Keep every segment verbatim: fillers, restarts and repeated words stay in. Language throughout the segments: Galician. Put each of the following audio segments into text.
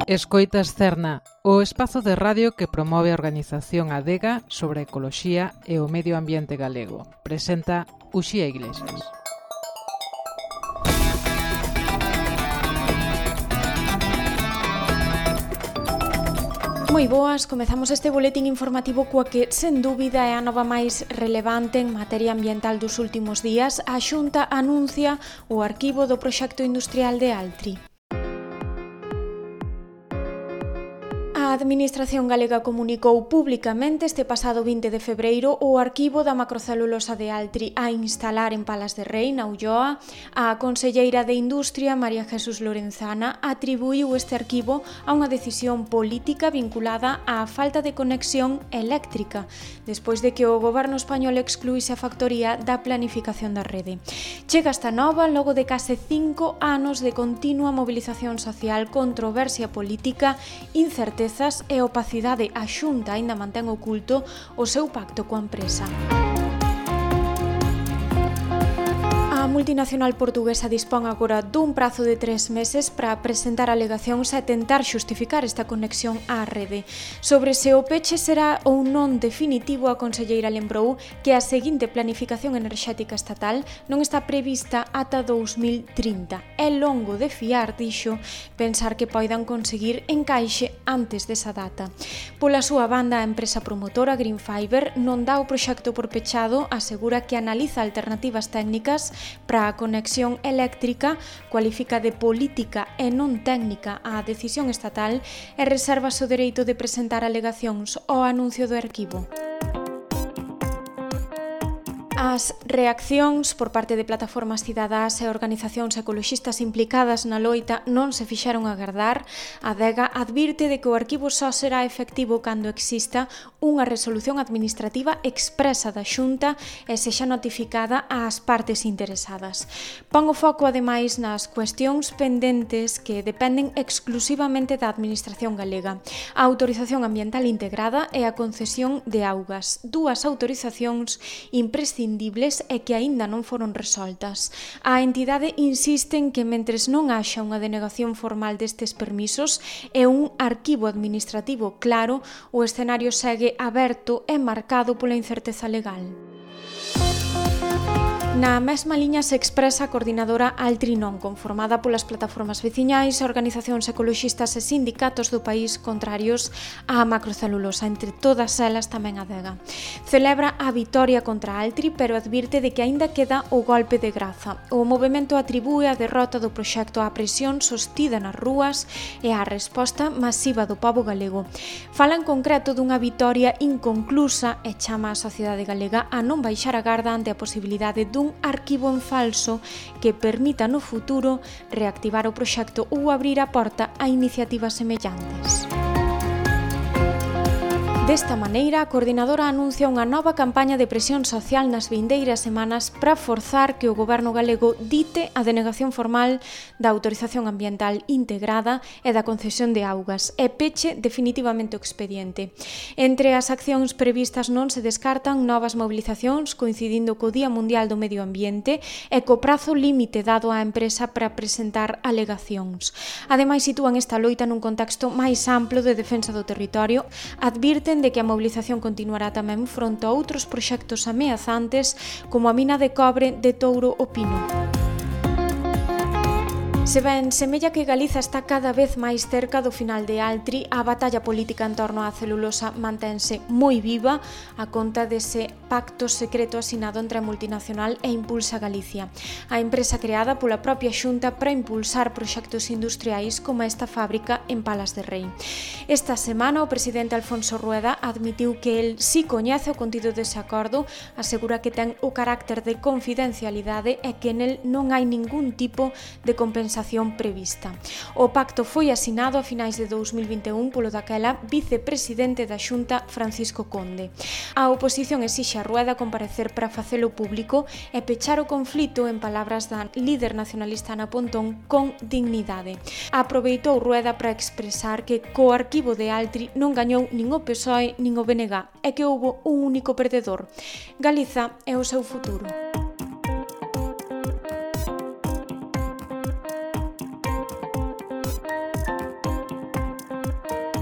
Escoitas Cerna, o espazo de radio que promove a organización Adega sobre a ecoloxía e o medio ambiente galego. Presenta Uxía Iglesias. Moi boas, comezamos este boletín informativo coa que, sen dúbida, é a nova máis relevante en materia ambiental dos últimos días. A Xunta anuncia o arquivo do proxecto industrial de Altri. A Administración galega comunicou públicamente este pasado vinte de febreiro o arquivo da macrocelulosa de Altri a instalar en Palas de Rei, na Ulloa. A conselleira de Industria, María Jesús Lorenzana, atribuiu este arquivo a unha decisión política vinculada á falta de conexión eléctrica, despois de que o goberno español excluíse a factoría da planificación da rede. Chega esta nova logo de case cinco anos de continua mobilización social, controversia política, incerteza e opacidade. A Xunta aínda mantén oculto o seu pacto coa empresa. A multinacional portuguesa dispón agora dun prazo de tres meses para presentar alegacións e tentar xustificar esta conexión á rede. Sobre se o peche será ou non definitivo, a conselleira lembrou que a seguinte planificación enerxética estatal non está prevista ata dous mil trinta. É longo de fiar, dixo, pensar que poidan conseguir encaixe antes desa data. Pola súa banda, a empresa promotora Green Fiber non dá o proxecto por pechado, asegura que analiza alternativas técnicas para a conexión eléctrica, cualifica de política e non técnica a decisión estatal e reserva o dereito de presentar alegacións ao anuncio do arquivo. As reaccións por parte de plataformas cidadás e organizacións ecoloxistas implicadas na loita non se fixaron agardar. A Adega advirte de que o arquivo só será efectivo cando exista unha resolución administrativa expresa da Xunta e sexa notificada ás partes interesadas. Pon o foco, ademais, nas cuestións pendentes que dependen exclusivamente da Administración galega: a autorización ambiental integrada e a concesión de augas, dúas autorizacións imprescindibles e que aínda non foron resoltas. A entidade insiste en que mentres non haxa unha denegación formal destes permisos e un arquivo administrativo claro, o escenario segue aberto e marcado pola incerteza legal. Na mesma liña se expresa a coordinadora Altri Non, conformada polas plataformas veciñais, organizacións ecoloxistas e sindicatos do país contrarios á macrocelulosa, entre todas elas tamén a Adega. Celebra a vitoria contra Altri, pero advirte de que aínda queda o golpe de graza. O movemento atribúe a derrota do proxecto á presión sostida nas rúas e á resposta masiva do pobo galego. Fala en concreto dunha vitoria inconclusa e chama a sociedade galega a non baixar a garda ante a posibilidade dun un arquivo en falso que permita no futuro reactivar o proxecto ou abrir a porta a iniciativas semellantes. Desta maneira, a coordinadora anuncia unha nova campaña de presión social nas vindeiras semanas para forzar que o goberno galego dite a denegación formal da autorización ambiental integrada e da concesión de augas e peche definitivamente o expediente. Entre as accións previstas non se descartan novas mobilizacións coincidindo co Día Mundial do Medio Ambiente e co prazo límite dado á empresa para presentar alegacións. Ademais, sitúan esta loita nun contexto máis amplo de defensa do territorio, advirten de que a mobilización continuará tamén fronte a outros proxectos ameazantes como a mina de cobre de Touro o Pino. Se ben semella que Galiza está cada vez máis cerca do final de Altri, a batalla política en torno á celulosa mantense moi viva a conta dese pacto secreto asinado entre a multinacional e Impulsa Galicia, a empresa creada pola propia Xunta para impulsar proxectos industriais como esta fábrica en Palas de Rei. Esta semana o presidente Alfonso Rueda admitiu que el si coñece o contido dese acordo, asegura que ten o carácter de confidencialidade e que nel non hai ningún tipo de compensación prevista. O pacto foi asinado a finais de dous mil vinte e un polo daquela vicepresidente da Xunta, Francisco Conde. A oposición exixe a Rueda comparecer para facelo público e pechar o conflito, en palabras da líder nacionalista Ana Pontón, con dignidade. Aproveitou Rueda para expresar que co arquivo de Altri non gañou nin o P S O E nin o B N G e que houbo un único perdedor: Galiza e o seu futuro.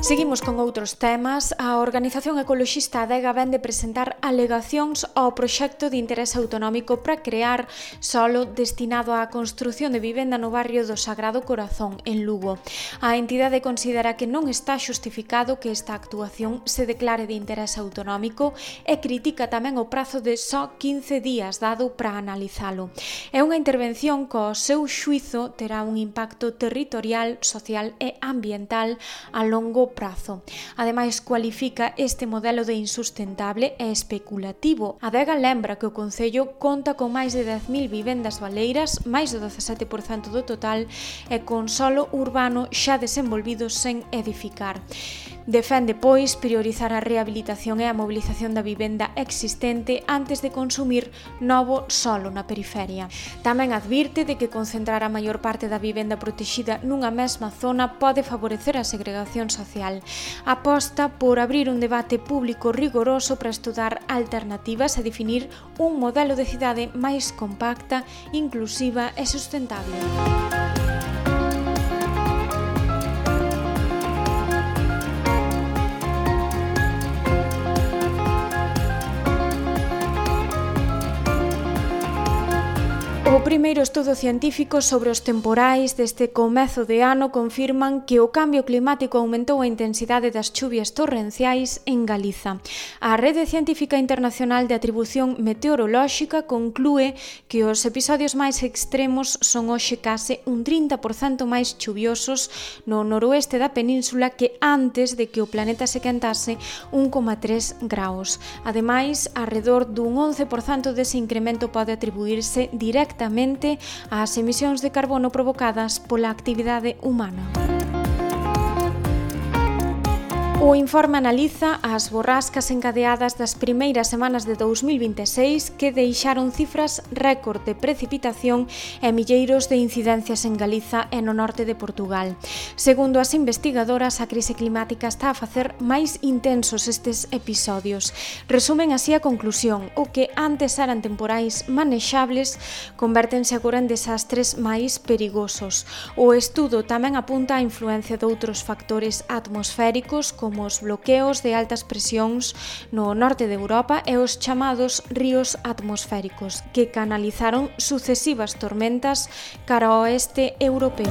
Seguimos con outros temas. A organización ecoloxista Adega vén de presentar alegacións ao proxecto de interese autonómico para crear solo destinado á construción de vivenda no barrio do Sagrado Corazón, en Lugo. A entidade considera que non está xustificado que esta actuación se declare de interese autonómico e critica tamén o prazo de só quince días dado para analizalo. É unha intervención que, ao seu xuizo, terá un impacto territorial, social e ambiental a longo prazo. Ademais, cualifica este modelo de insustentable e especulativo. Adega lembra que o Concello conta con máis de dez mil vivendas baleiras, máis do dezasete por cento do total, e con solo urbano xa desenvolvido sen edificar. Defende, pois, priorizar a rehabilitación e a mobilización da vivenda existente antes de consumir novo solo na periferia. Tamén advirte de que concentrar a maior parte da vivenda protexida nunha mesma zona pode favorecer a segregación social. Aposta por abrir un debate público rigoroso para estudar alternativas e definir un modelo de cidade máis compacta, inclusiva e sustentable. O primeiro estudo científico sobre os temporais deste comezo de ano confirman que o cambio climático aumentou a intensidade das chuvias torrenciais en Galiza. A Rede Científica Internacional de Atribución Meteorolóxica conclúe que os episodios máis extremos son hoxe case un trinta por cento máis chuviosos no noroeste da península que antes de que o planeta se quentase un coma tres graus. Ademais, arredor dun once por cento dese incremento pode atribuirse directamente ás emisións de carbono provocadas pola actividade humana. O informe analiza as borrascas encadeadas das primeiras semanas de dous mil vinte e seis que deixaron cifras récord de precipitación e milleiros de incidencias en Galiza e no norte de Portugal. Segundo as investigadoras, a crise climática está a facer máis intensos estes episodios. Resumen así a conclusión: o que antes eran temporais manexables convértense agora en desastres máis perigosos. O estudo tamén apunta á influencia de outros factores atmosféricos como como os bloqueos de altas presións no norte de Europa e os chamados ríos atmosféricos, que canalizaron sucesivas tormentas cara ao oeste europeo.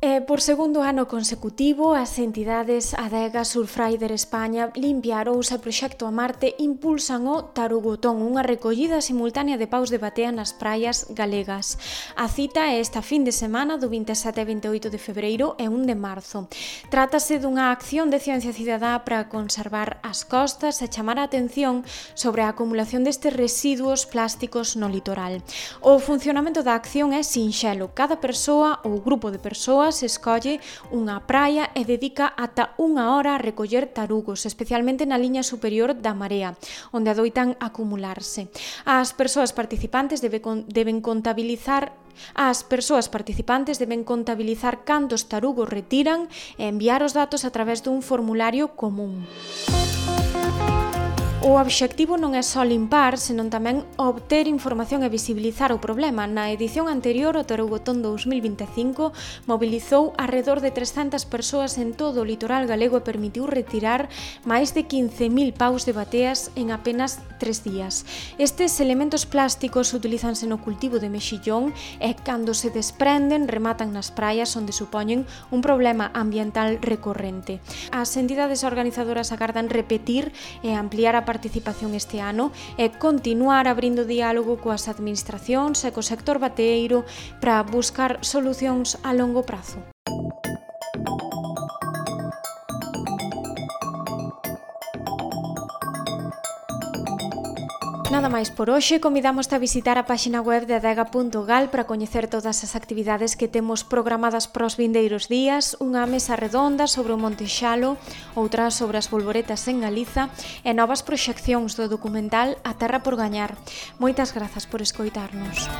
E por segundo ano consecutivo, as entidades Adega, Surfrider España, Limpia Arousa e Proxecto a Marte impulsan o Tarugotón, unha recollida simultánea de paus de batea nas praias galegas. A cita é esta fin de semana do vinte e sete e vinte e oito de febreiro e un de marzo. Trátase dunha acción de ciencia cidadá para conservar as costas e chamar a atención sobre a acumulación destes residuos plásticos no litoral. O funcionamento da acción é sinxelo. Cada persoa ou grupo de persoas se escolle unha praia e dedica ata unha hora a recoller tarugos, especialmente na liña superior da marea, onde adoitan acumularse. As persoas participantes debe, deben contabilizar As persoas participantes deben contabilizar cantos tarugos retiran e enviar os datos a través dun formulario común. O obxectivo non é só limpar, senón tamén obter información e visibilizar o problema. Na edición anterior, o Tarugotón dous mil vinte e cinco mobilizou arredor de trescentas persoas en todo o litoral galego e permitiu retirar máis de quince mil paus de bateas en apenas tres días. Estes elementos plásticos utilízanse no cultivo de mexillón e, cando se desprenden, rematan nas praias onde supoñen un problema ambiental recorrente. As entidades organizadoras agardan repetir e ampliar a participación este ano e continuar abrindo diálogo coas administracións e co sector bateeiro para buscar solucións a longo prazo. Nada máis por hoxe, convidamos-te a visitar a páxina web de adega punto gal para coñecer todas as actividades que temos programadas para os vindeiros días, unha mesa redonda sobre o Monte Xalo, outra sobre as bolboretas en Galiza e novas proxeccións do documental A Terra por Gañar. Moitas grazas por escoitarnos.